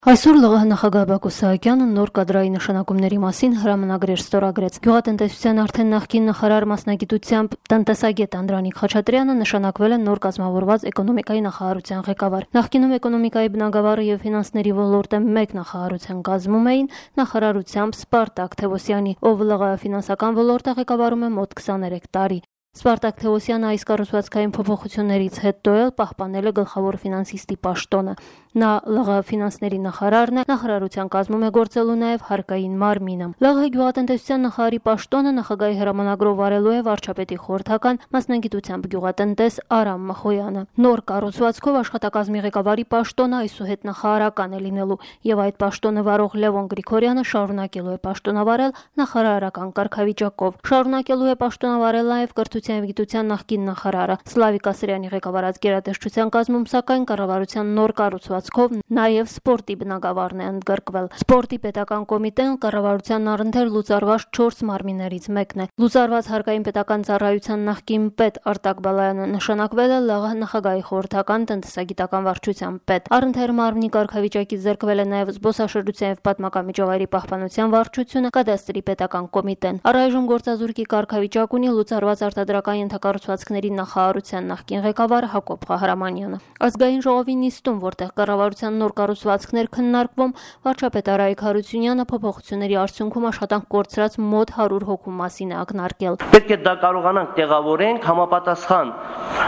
Այսօր ԼՂՀ նախագահ Բակո Սահակյանը նոր կադրային նշանակումների մասին հրամանագրեր ստորագրեց։ Գյուղատնտեսության արդեն նախկին նախարար մասնագիտությամբ տնտեսագետ Անդրանիկ Խաչատրյանը նշանակվել է նոր կազմավորված էկոնոմիկայի նախարարության ղեկավար։ Նախկինում էկոնոմիկայի բնագավառը եւ ֆինանսների ոլորտը մեկ նախարարության կազմում էին նախարարությամբ Սպարտակ Թևոսյանի, ով ԼՂՀ ֆինանսական ոլորտը ղեկավարում է մոտ 23 տարի։ Սպարտակ Թևոսյանը այս կառուցվածքային փոփոխություններից հետո էլ պահպանել է գլխավոր ֆինանսիստի պաշտոնը։ Նա ԼՂՀ ֆինանսների նախարարն է, նախարարության կազմում է գործելու նաև հարկային մարմինը։ ԼՂՀ գյուղատնտեսության նախարարի պաշտոնը նախագահի հրամանագրով վարելու է վարչապետի խորհրդական մասնագիտությամբ գյուղատնտես Արամ Մախոյանը։ Նոր կառուցվածքով աշխատակազմի ղեկավարի պաշտոնը այսուհետ նախարարական է լինելու, եւ այդ պաշտոնը վարող Լևոն Գրիգորյանը շարունակելու է պաշտոնավարել նախարարական կարգավիճակով։ Շարունակելու է պաշտոնավարել նաև կրթության եւ գիտության նախկին նախարարը Սլավիկ Ասրյանի ղեկավարած գերատեսչության կազմում, սակայն կառավարության նոր կառուցվածքով նաև սպորտի բնագավառն է ընդգրկվել։ Սպորտի պետական կոմիտեն կառավարության առընթեր լուծարված 4 մարմիններից մեկն է։ Լուծարված հարկային պետական ծառայության նախկին պետ Արտակ Բալայանը նշանակվել է ԼՂՀ նախագահի խորհրդական տնտեսագիտական վարչության պետ։ Առընթեր մարմնի կարգավիճակից զրկվել է նաև զբոսաշրջության եւ պատմական միջավայրի պահպանության վարչությունը, կադաստրի պետական կոմիտեն։ Առայժմ գործազուրկի կարգավիճակ ունի լուծարված արտադրական ենթակառուցվածքների նախարարության նախկին ղեկավար Հակոբ Ղահարամանյանը։ Ազգային ժողովի նիստում, որտեղ կառավարության նոր կառուցվածքներ քննարկվում, վարչապետ Արայիկ Հարությունյանը փոփոխությունների արդյունքում աշխատանք կորցրած մոտ 100 հոգու մասին է ակնարկել։ Պետք է դա կարողանանք տեղավորենք համապատասխան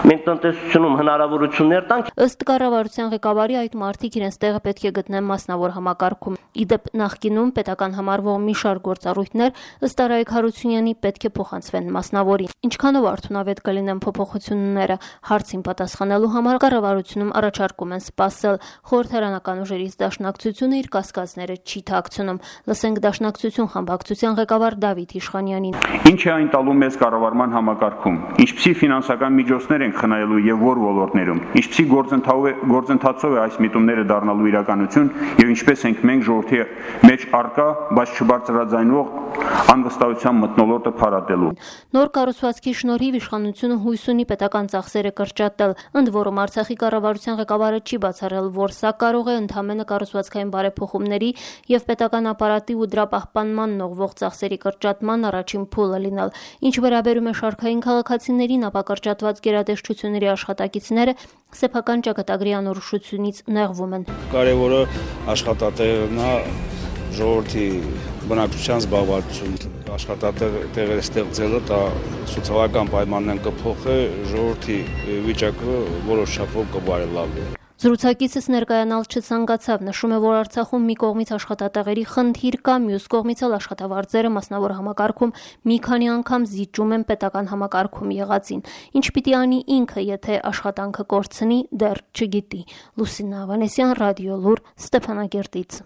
մենք տնտեսությունում հնարավորություններ տանք։ Ըստ կառավարության ղեկավարի այդ մարդիկ իրենց տեղը պետք է գտնեն մասնավոր համակարգում։ Իդեպ նախկինում պետական համարվող մի շարք գործառույթներ ըստ Արայիկ Հարությունյանի պետք է փոխանցվեն մասնավորին։ Ինչքանով արդյունավետ կլինեն փոփոխությունները, հարցին պատասխանելու համար կառավարությունում առաջարկում են սպասել։ Խորհրդարանական ուժերից դաշնակցությունը իր կասկածները չի թաքցնում։ Լսենք դաշնակցություն խմբակցության ղեկավար Դավիթ Իշխանյանին։ Ինչ է այն տալու մեզ կառավարման համակարգում, ինչպիսի ֆինանսական միջոցներ ենք խնայելու եւ որ ոլորտներում, ինչպիսի գործընթացով է այս միտումները դառնալու իրականություն եւ ինչպես ենք մենք ժողովրդի մեջ արկա, բայց չբարձրաձայնվող անվստահության մթնոլորտը փարատելու։ Նոր կառուցվածքի շնորհիվ իշխանությունը հույս ունի պետական ծախսերը կրճատել, ընդ որում Արցախի կառավարության ղեկավարը չի բացառել, որ սա կարող է ընդհանրապես կառուցվածքային բարեփոխումների եւ պետական ապարատի ու դրա պահպանման ուղղվող ծախսերի կրճատման առաջին փուլը լինել։ Ինչ վերաբերում է շարքային քաղաքացիներին, ապա կրճատված գերատեսչությունների աշխատակիցները սեփական ճակատագրի անորոշությունից նեղվում են։ Կարևորը աշխատատեղերն է, ժողովրդի բնակչության զբաղվածություն, աշխատատեղեր ստեղծելը դա սոցիալական պայմաններն կփոխի, ժողովրդի վիճակը որոշ չափով կբարելավի։ Զրուցակիցս ներկայանալ չցանկացավ, նշում է, որ Արցախում մի կողմից աշխատատեղերի խնդիր կա, մյուս կողմից էլ աշխատավարձերը մասնավոր համակարգում մի քանի անգամ զիջում են պետական համակարգում եղածին։ Ինչ պիտի անի ինքը, եթե աշխատանքը կորցնի, դեռ չգիտի։ Լուսինե Ավանեսյան, Ռադիոլուր, Ստեփանագերտից։